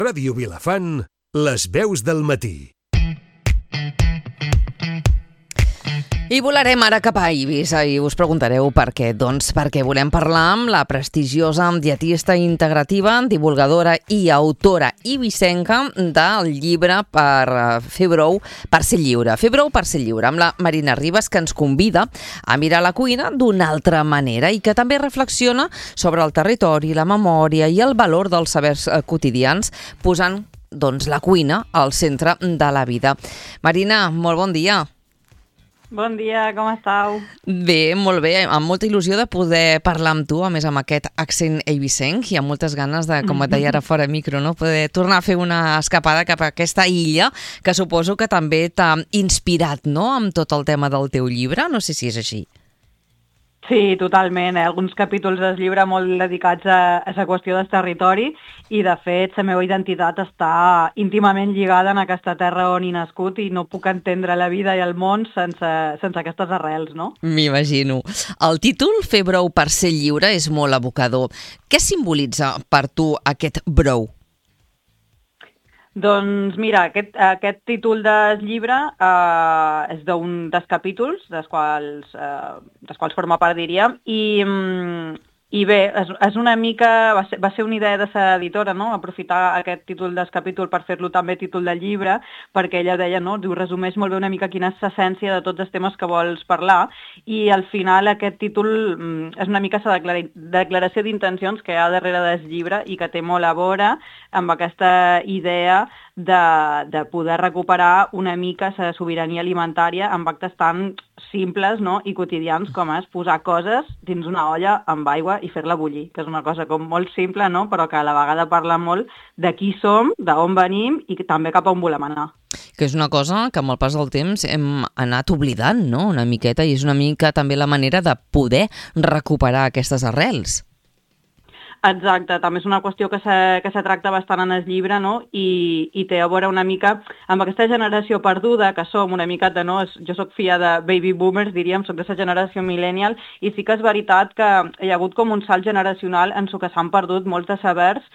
Ràdio Vilafant, les veus del matí. I volarem ara cap a Eivissa i us preguntareu per què. Doncs perquè volem parlar amb la prestigiosa dietista integrativa, divulgadora i autora eivissenca del llibre per fer brou per ser lliure. Fer brou per ser lliure, amb la Marina Ribas, que ens convida a mirar la cuina d'una altra manera i que també reflexiona sobre el territori, la memòria i el valor dels sabers quotidians, posant la cuina al centre de la vida. Marina, molt bon dia. Bon dia, com estàu? Bé, molt bé, amb molta il·lusió de poder parlar amb tu, a més amb aquest accent eivissenc, i amb moltes ganes de, com et deia ara fora micro, no? Poder tornar a fer una escapada cap a aquesta illa, que suposo que també t'ha inspirat, no?, amb tot el tema del teu llibre, no sé si és així. Sí, totalment. Alguns capítols del llibre molt dedicats a la qüestió del territori i, de fet, la meva identitat està íntimament lligada en aquesta terra on he nascut i no puc entendre la vida i el món sense aquestes arrels, no? M'imagino. El títol, Fer brou per ser lliure, és molt evocador. Què simbolitza per tu aquest brou? Doncs mira, aquest títol del llibre és d'un dels capítols, dels quals forma part, diríem, i bé, és una mica, va ser una idea de l'editora, no?, aprofitar aquest títol del capítol per fer-lo també títol del llibre, perquè ella deia, no?, diu, resumeix molt bé una mica quina és l'essència de tots els temes que vols parlar, i al final aquest títol és una mica la declaració d'intencions que hi ha darrere del llibre i que té molt a veure amb aquesta idea de poder recuperar una mica la sobirania alimentària amb actes tan simples, no?, i quotidians com és posar coses dins una olla amb aigua i fer-la bullir, que és una cosa com molt simple, no?, però que a la vegada parla molt de qui som, d'on venim i també cap a on volem anar. Que és una cosa que amb el pas del temps hem anat oblidant, no?, una miqueta, i és una mica també la manera de poder recuperar aquestes arrels. Exacte, també és una qüestió que se tracta bastant en el llibre, no?, i té a veure una mica amb aquesta generació perduda que som una mica de, no?, jo soc filla de baby boomers, diríem, soc de la generació millennial, i sí que és veritat que hi ha hagut com un salt generacional en què s'han perdut molts de sabers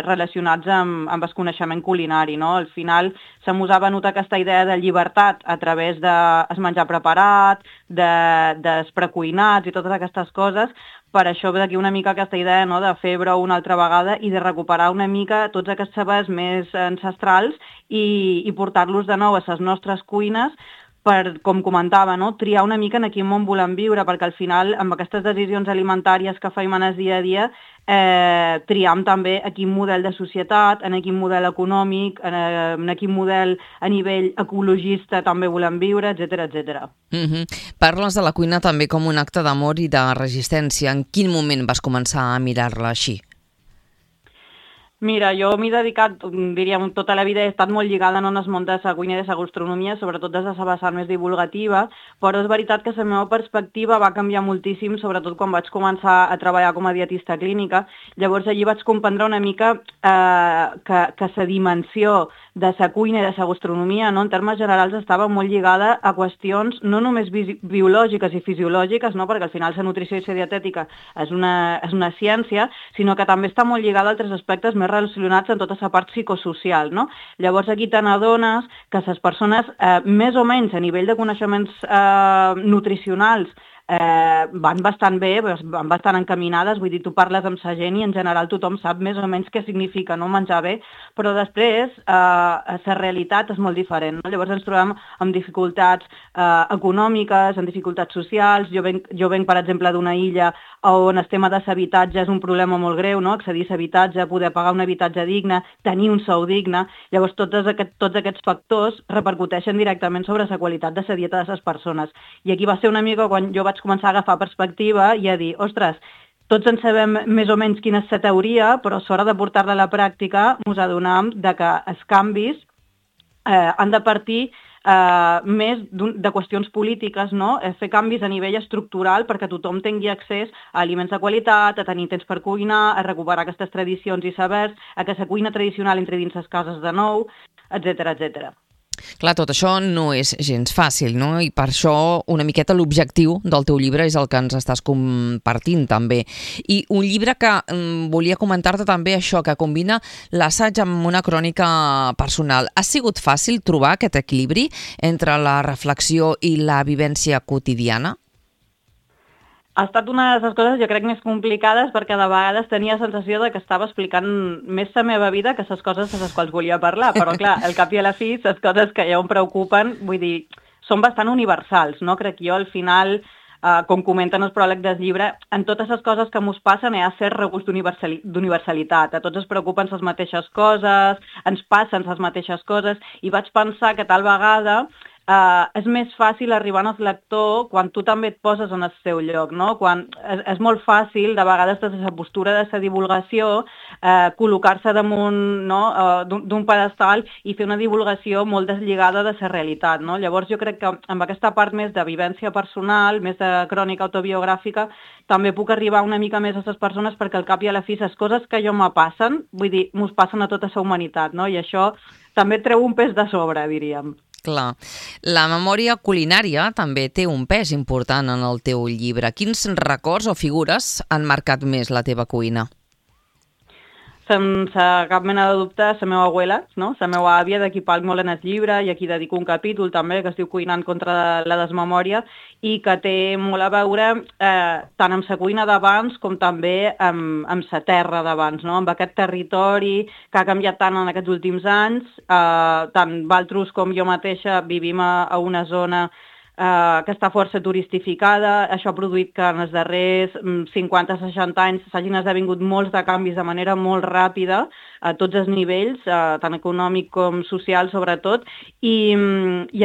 relacionats amb el coneixement culinari, no? Al final se mos ha venut aquesta idea de llibertat a través del menjar preparat, dels precuinats i totes aquestes coses. Per això ve d'aquí una mica aquesta idea, no?, de fer brou una altra vegada i de recuperar una mica tots aquests sabers més ancestrals i portar-los de nou a les nostres cuines per, com comentava, no?, triar una mica en quin món volem viure, perquè al final amb aquestes decisions alimentàries que fem en el dia a dia triam també a quin model de societat, en quin model econòmic, en quin model a nivell ecologista també volem viure, etcètera, etcètera. Parles de la cuina també com un acte d'amor i de resistència. En quin moment vas començar a mirar-la així? Mira, jo m'he dedicat, diríem, tota la vida he estat molt lligada en el món de la cuina i de la gastronomia, sobretot des de la vessant més divulgativa, però és veritat que la meva perspectiva va canviar moltíssim, sobretot quan vaig començar a treballar com a dietista clínica. Llavors allí vaig comprendre una mica que la dimensió de la cuina i de la gastronomia, no?, en termes generals estava molt lligada a qüestions no només biològiques i fisiològiques, no?, perquè al final la nutrició i la dietètica és una ciència, sinó que també està molt lligada a altres aspectes més relacionats amb tota la part psicosocial, no? Llavors aquí te n'adones que les persones, més o menys a nivell de coneixements nutricionals, van bastant bé, van bastant encaminades, vull dir, tu parles amb la gent i en general tothom sap més o menys què significa, no?, menjar bé, però després la realitat és molt diferent, no? Llavors ens trobem amb dificultats econòmiques, amb dificultats socials. Jo venc, per exemple, d'una illa on el tema de l'habitatge és un problema molt greu, no?, accedir a l'habitatge, poder pagar un habitatge digne, tenir un sou digne. Llavors tots aquests factors repercuteixen directament sobre la qualitat de la dieta de les persones. I aquí va ser una mica quan jo vaig començar a agafar perspectiva i a dir, ostres, tots en sabem més o menys quina és la teoria, però a l'hora de portar-la a la pràctica ens adonem que els canvis han de partir més de qüestions polítiques, no? Fer canvis a nivell estructural perquè tothom tingui accés a aliments de qualitat, a tenir temps per cuinar, a recuperar aquestes tradicions i sabers, a que la cuina tradicional entri dins les cases de nou, etcètera, etcètera. Clar, tot això no és gens fàcil, no? I per això una miqueta l'objectiu del teu llibre és el que ens estàs compartint també. I un llibre que volia comentar-te també això, que combina l'assaig amb una crònica personal. Ha sigut fàcil trobar aquest equilibri entre la reflexió i la vivència quotidiana? Ha estat una de les coses, jo crec, més complicades perquè de vegades tenia la sensació de que estava explicant més la meva vida que les coses de les quals volia parlar. Però, clar, al cap i a la fi, les coses que ja em preocupen, vull dir, són bastant universals, no? Crec jo, al final, com comenten els pròlegs del llibre, en totes les coses que mos passen hi ha cert regust d'universalitat. A tots ens preocupen les mateixes coses, ens passen les mateixes coses, i vaig pensar que tal vegada és més fàcil arribar al lector quan tu també et poses en el seu lloc, no? Quan és molt fàcil, de vegades, des de la postura de la divulgació, col·locar-se damunt, no? d'un pedestal i fer una divulgació molt deslligada de la realitat, no? Llavors jo crec que amb aquesta part més de vivència personal, més de crònica autobiogràfica, també puc arribar una mica més a les persones perquè al cap i a la fi les coses que jo me passen, vull dir, mos passen a tota la humanitat, no? I això també treu un pes de sobre, diríem. Clar. La memòria culinària també té un pes important en el teu llibre. Quins records o figures han marcat més la teva cuina? Sense cap mena de dubte, la meva abuela, no? La meva àvia, de qui parlo molt en el llibre i a qui dedico un capítol també, que es diu Cuinant contra la desmemòria, i que té molt a veure tant amb la cuina d'abans com també amb la terra d'abans, no? Amb aquest territori que ha canviat tant en aquests últims anys. Tant Valtros com jo mateixa vivim a una zona que està força turistificada. Això ha produït que en els darrers 50-60 anys s'hagin esdevingut molts de canvis de manera molt ràpida a tots els nivells, tant econòmic com social sobretot, i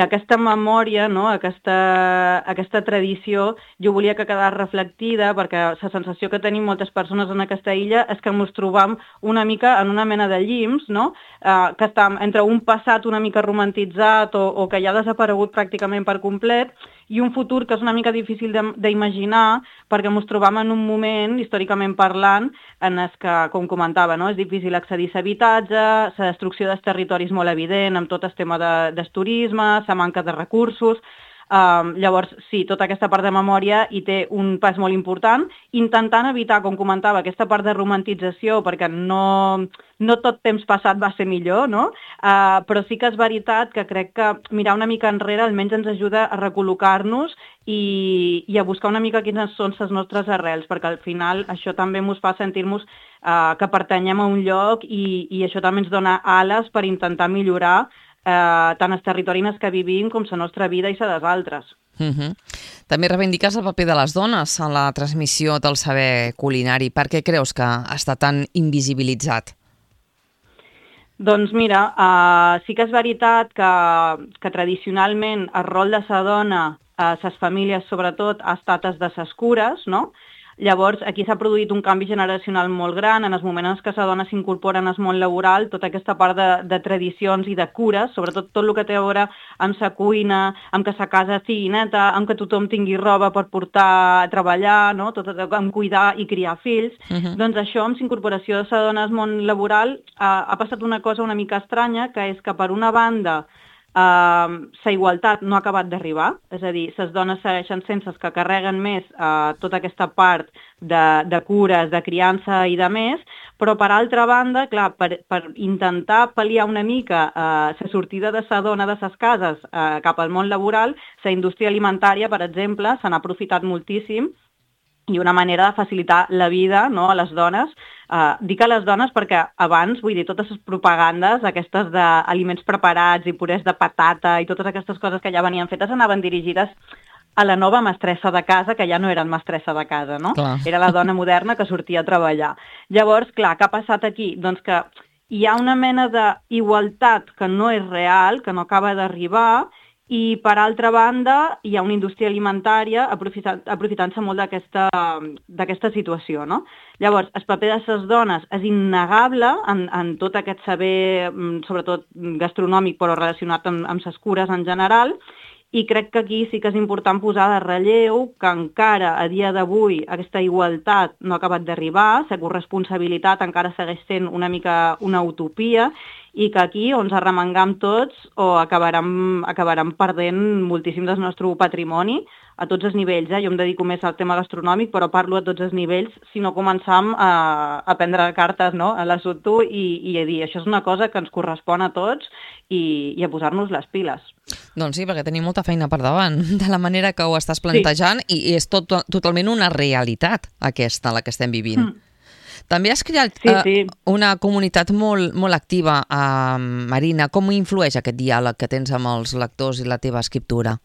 aquesta memòria, no? aquesta tradició, jo volia que quedés reflectida perquè la sensació que tenim moltes persones en aquesta illa és que ens trobam una mica en una mena de llims, no? Que està entre un passat una mica romantitzat o que ja ha desaparegut pràcticament per complet, i un futur que és una mica difícil d'imaginar perquè ens trobam en un moment, històricament parlant, en el que, com comentava, no? És difícil accedir a l'habitatge, la destrucció dels territoris molt evident amb tot el tema del turisme, la manca de recursos. Llavors, sí, tota aquesta part de memòria hi té un pas molt important, intentant evitar, com comentava, aquesta part de romantització, perquè no tot temps passat va ser millor, no? Però sí que és veritat que crec que mirar una mica enrere almenys ens ajuda a recol·locar-nos i a buscar una mica quines són les nostres arrels, perquè al final això també ens fa sentir-nos que pertanyem a un lloc i això també ens dona ales per intentar millorar tant els territoris en els que vivim com la nostra vida i la dels altres. També reivindiques el paper de les dones en la transmissió del saber culinari. Per què creus que està tan invisibilitzat? Doncs mira, sí que és veritat que tradicionalment el rol de la dona a les famílies sobretot ha estat el de les cures, no? Llavors, aquí s'ha produït un canvi generacional molt gran, en els moments en què la dona s'incorpora en el món laboral, tota aquesta part de tradicions i de cures, sobretot tot el que té a veure amb la cuina, amb que la casa sigui neta, amb que tothom tingui roba per portar a treballar, no? Amb cuidar i criar fills. Doncs això, amb l'incorporació de la dona al món laboral, ha passat una cosa una mica estranya, que és que per una banda la igualtat no ha acabat d'arribar, és a dir, les dones segueixen sent les que carreguen més tota aquesta part de cures, de criança i de més, però per altra banda, clar, per intentar pal·liar una mica la sortida de la dona de les cases cap al món laboral, la indústria alimentària, per exemple, se n'ha aprofitat moltíssim i una manera de facilitar la vida, no, a les dones. Dic a les dones perquè abans, vull dir, totes les propagandes, aquestes d'aliments preparats i purés de patata i totes aquestes coses que ja venien fetes anaven dirigides a la nova mestressa de casa, que ja no eren mestressa de casa, no? Clar. Era la dona moderna que sortia a treballar. Llavors, clar, què ha passat aquí? Doncs que hi ha una mena d'igualtat que no és real, que no acaba d'arribar, i per altra banda hi ha una indústria alimentària aprofitant-se molt d'aquesta situació, no? Llavors, el paper de les dones és innegable en tot aquest saber, sobretot gastronòmic, però relacionat amb les cures en general, i crec que aquí sí que és important posar de relleu que encara a dia d'avui aquesta igualtat no ha acabat d'arribar, la corresponsabilitat encara segueix sent una mica una utopia, i que aquí o ens arremangam tots o acabarem perdent moltíssim del nostre patrimoni a tots els nivells. Jo em dedico més al tema gastronòmic, però parlo a tots els nivells, si no començam a prendre cartes, no?, a l'assumpte i a dir això és una cosa que ens correspon a tots i a posar-nos les piles. Doncs sí, perquè tenim molta feina per davant, de la manera que ho estàs plantejant, i és totalment una realitat aquesta, la que estem vivint. També has creat una comunitat molt activa, Marina. Com influeix aquest diàleg que tens amb els lectors i la teva escriptura?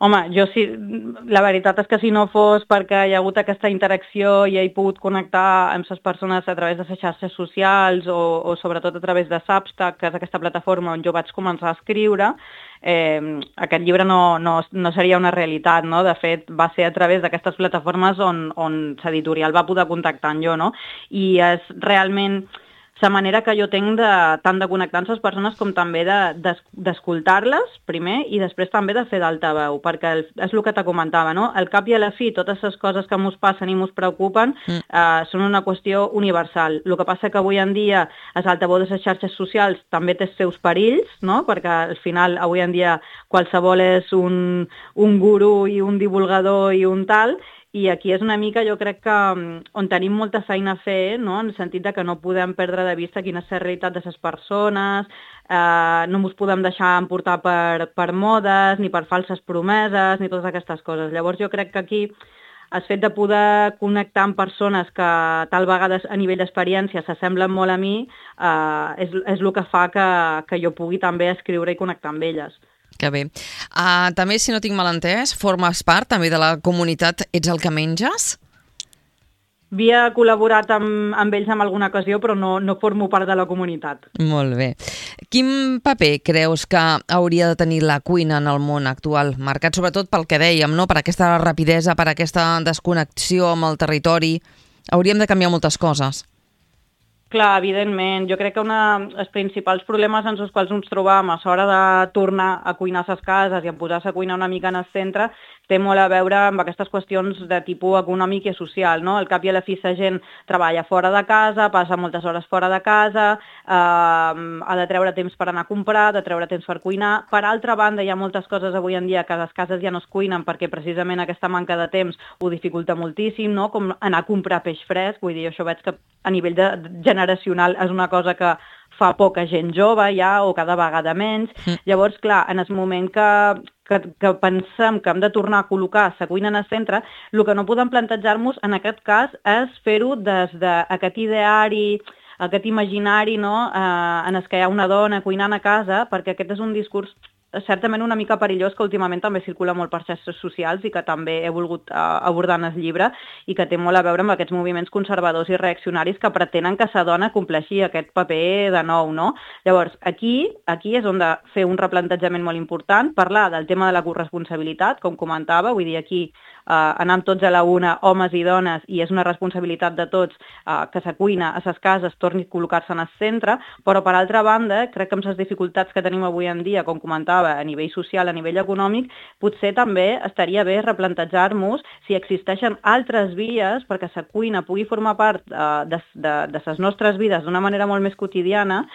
Home, jo sí, la veritat és que si no fos perquè hi ha hagut aquesta interacció i he pogut connectar amb les persones a través de les xarxes socials o sobretot a través de Substack, que és aquesta plataforma on jo vaig començar a escriure, aquest llibre no seria una realitat, no? De fet, va ser a través d'aquestes plataformes on l'editorial va poder contactar amb jo, no? I és realment la manera que jo tinc tant de connectar amb les persones com també d'escoltar-les primer i després també de fer d'altaveu, perquè és el que te comentava, no? Al cap i a la fi, totes les coses que ens passen i ens preocupen són una qüestió universal. El que passa que avui en dia l'altaveu de les xarxes socials també té els seus perills, no? Perquè al final avui en dia qualsevol és un gurú i un divulgador i un tal. I aquí és una mica, jo crec que on tenim molta feina a fer, no? En el sentit que no podem perdre de vista quina és la realitat de les persones, no ens podem deixar emportar per modes, ni per falses promeses, ni totes aquestes coses. Llavors jo crec que aquí el fet de poder connectar amb persones que tal vegada a nivell d'experiència s'assemblen molt a mi és el que fa que jo pugui també escriure i connectar amb elles. Que bé. També, si no tinc mal entès, formes part també de la comunitat Ets el que menges? Havia col·laborat amb ells en alguna ocasió, però no formo part de la comunitat. Molt bé. Quin paper creus que hauria de tenir la cuina en el món actual, marcat sobretot pel que dèiem, no? Per aquesta rapidesa, per aquesta desconnexió amb el territori? Hauríem de canviar moltes coses. Clar, evidentment. Jo crec que els principals problemes en els quals ens trobam a l'hora de tornar a cuinar a les cases i a posar-se a cuinar una mica en el centre té molt a veure amb aquestes qüestions de tipus econòmic i social, no? Al cap i a la fi la gent treballa fora de casa, passa moltes hores fora de casa, ha de treure temps per anar a comprar, de treure temps per cuinar. Per altra banda, hi ha moltes coses avui en dia que a les cases ja no es cuinen perquè precisament aquesta manca de temps ho dificulta moltíssim, no? Com anar a comprar peix fresc, vull dir, això veig que a nivell generacional és una cosa que fa poca gent jove ja, o cada vegada menys. Llavors, clar, en el moment que pensem que hem de tornar a col·locar la cuina en el centre, el que no podem plantejar-nos en aquest cas és fer-ho des d'aquest ideari, aquest imaginari, no? En el que hi ha una dona cuinant a casa, perquè aquest és un discurs certament una mica perillós que últimament també circula molt per xarxes socials i que també he volgut abordar en el llibre i que té molt a veure amb aquests moviments conservadors i reaccionaris que pretenen que la dona compleixi aquest paper de nou, no? Llavors, aquí és on de fer un replantejament molt important, parlar del tema de la corresponsabilitat, com comentava, vull dir, aquí anem tots a la una, homes i dones, i és una responsabilitat de tots que la cuina a les cases torni a col·locar-se en el centre, però per altra banda, crec que amb les dificultats que tenim avui en dia, com comentava, a nivell social, a nivell econòmic, potser també estaria bé replantejar-nos si existeixen altres vies perquè la cuina pugui formar part de les nostres vides d'una manera molt més quotidiana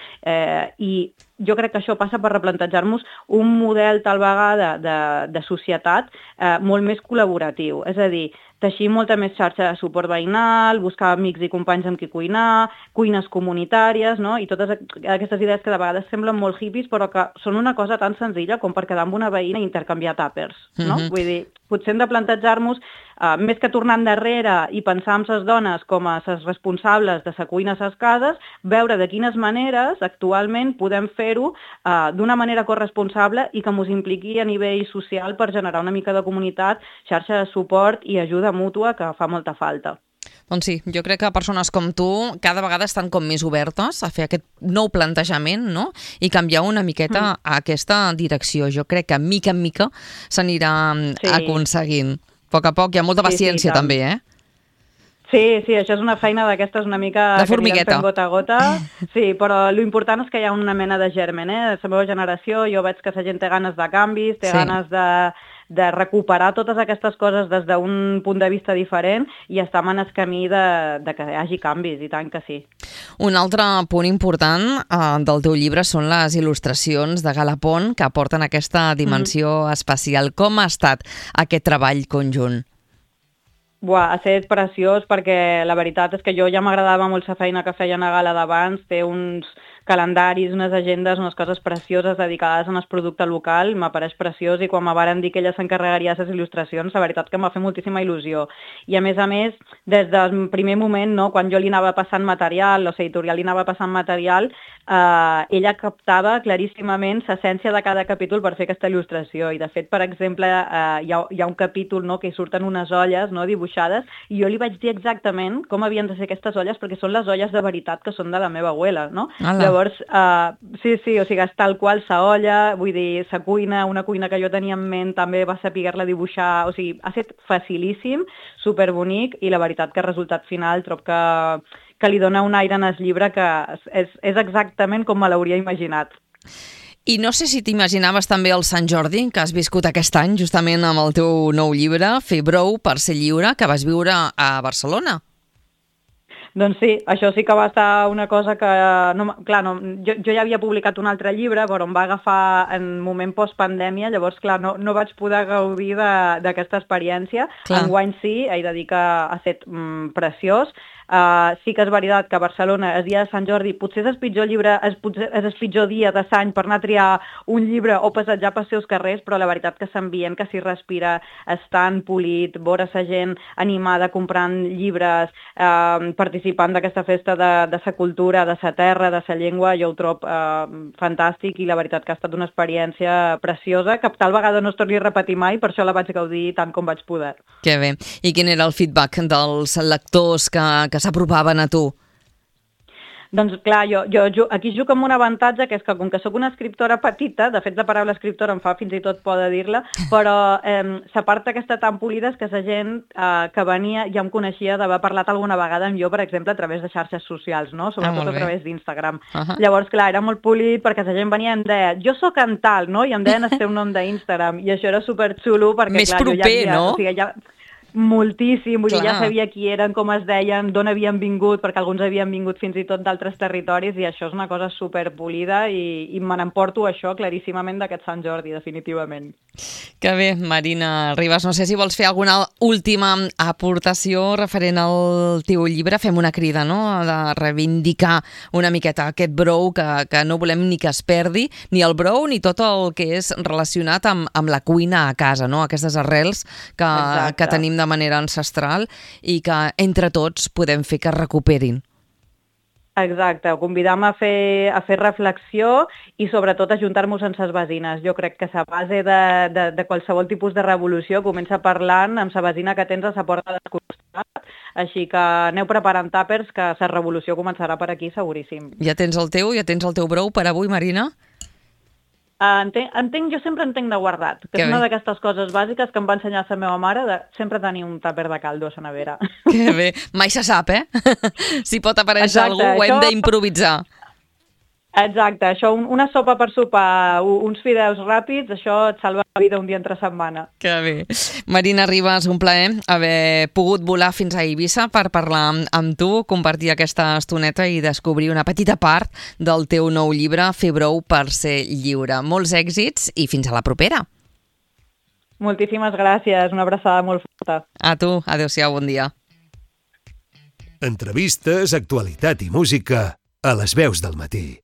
i jo crec que això passa per replantejar-nos un model tal vegada de societat molt més col·laboratiu. És a dir, teixir molta més xarxa de suport veïnal, buscar amics i companys amb qui cuinar, cuines comunitàries, no? I totes aquestes idees que de vegades semblen molt hippies, però que són una cosa tan senzilla com per quedar amb una veïna i intercanviar tàpers, no? Vull dir, potser hem de plantejar-nos, més que tornar endarrere i pensar en les dones com a les responsables de la cuina a les cases, veure de quines maneres actualment podem fer-ho d'una manera corresponsable i que ens impliqui a nivell social per generar una mica de comunitat, xarxa de suport i ajuda mútua que fa molta falta. Doncs sí, jo crec que persones com tu cada vegada estan com més obertes a fer aquest nou plantejament, no? I canviar una miqueta a aquesta direcció. Jo crec que mica en mica s'anirà aconseguint. A poc, hi ha molta paciència també, eh? Sí, això és una feina d'aquestes una mica de formigueta. Gota a gota. Sí, però l'important és que hi ha una mena de germen, eh? La meva generació, jo veig que la gent té ganes de canvis, té ganes de recuperar totes aquestes coses des d'un punt de vista diferent i estem en el camí de que hi hagi canvis, i tant que sí. Un altre punt important del teu llibre són les il·lustracions de Galapón que aporten aquesta dimensió especial. Com ha estat aquest treball conjunt? Buah, ha estat preciós perquè la veritat és que jo ja m'agradava molt la feina que feien a Gala d'abans, té uns calendaris, unes agendes, unes coses precioses dedicades al producte local, m'apareix preciós, i quan me varen dir que ella s'encarregaria de les il·lustracions, la veritat que em va fer moltíssima il·lusió. I a més, des del primer moment, no, quan jo li anava passant material, l'editorial li anava passant material, ella captava claríssimament l'essència de cada capítol per fer aquesta il·lustració. I de fet, per exemple, hi ha un capítol, no, que hi surten unes olles, no, dibuixades, i jo li vaig dir exactament com havien de ser aquestes olles, perquè són les olles de veritat que són de la meva abuela, no? Llavors, sí, o sigui, és tal qual sa olla, vull dir, sa cuina, una cuina que jo tenia en ment, també va saber-la dibuixar, o sigui, ha estat facilíssim, superbonic, i la veritat que el resultat final trob que li dona un aire en el llibre que és exactament com me l'hauria imaginat. I no sé si t'imaginaves també el Sant Jordi, que has viscut aquest any, justament amb el teu nou llibre, Fer brou per ser lliure, que vas viure a Barcelona. Doncs sí, això sí que va estar una cosa que... jo ja havia publicat un altre llibre, però em va agafar en moment postpandèmia, llavors, clar, no vaig poder gaudir d'aquesta experiència. Enguany sí, he de dir que ha estat preciós. Sí que és veritat que a Barcelona, el dia de Sant Jordi, potser és el pitjor dia de l'any per anar a triar un llibre o passejar pels seus carrers, però la veritat que s'ambient, que s'hi respira, és tan polit, veure la gent animada comprant llibres, participant d'aquesta festa de la cultura, de la terra, de la llengua, jo ho trobo fantàstic, i la veritat que ha estat una experiència preciosa, que tal vegada no es torni a repetir mai, per això la vaig gaudir tant com vaig poder. Que bé. I quin era el feedback dels lectors que s'apropaven a tu? Doncs clar, jo aquí jugo amb un avantatge, que és que com que sóc una escriptora petita, de fet la paraula escriptora em fa fins i tot por de dir-la, però la part aquesta tan polida és que la gent que venia ja em coneixia d'haver parlat alguna vegada amb jo, per exemple, a través de xarxes socials, no? Sobretot a través d'Instagram. Llavors, clar, era molt polit perquè la gent venia i em deia, jo sóc en tal, no? I em deien el seu nom d'Instagram, i això era superxulo perquè, més clar, proper, jo ja havia... no? O sigui, ja... Moltíssim, vull dir, ja sabia qui eren, com es deien, d'on havien vingut, perquè alguns havien vingut fins i tot d'altres territoris, i això és una cosa superpolida, i me n'emporto això claríssimament d'aquest Sant Jordi, definitivament. Que bé, Marina Ribas, no sé si vols fer alguna última aportació referent al teu llibre. Fem una crida, no?, de reivindicar una miqueta aquest brou, que no volem ni que es perdi, ni el brou ni tot el que és relacionat amb la cuina a casa, no?, aquestes arrels que tenim de manera ancestral i que entre tots podem fer que es recuperin. Exacte, convidam a fer reflexió i sobretot a juntar-nos amb les veïnes. Jo crec que la base de qualsevol tipus de revolució comença parlant amb la veïna que tens a la porta del costat, així que aneu preparant tàpers, que la revolució començarà per aquí seguríssim. Ja tens el teu brou per avui, Marina? Jo sempre entenc de guardat, que és una d'aquestes coses bàsiques que em va ensenyar la meva mare, de sempre tenir un tàper de caldo a la nevera. Que bé, mai se sap, si pot aparèixer algú, ho hem d'improvisar. Exacte, això, una sopa per sopar, uns fideus ràpids, això et salva la vida un dia entre setmana. Que bé. Marina Ribas, un plaer haver pogut volar fins a Eivissa per parlar amb tu, compartir aquesta estoneta i descobrir una petita part del teu nou llibre, Fer brou per ser lliure. Molts èxits i fins a la propera. Moltíssimes gràcies, una abraçada molt forta. A tu, adéu-siau, bon dia. Entrevistes, actualitat i música a Les Veus del Matí.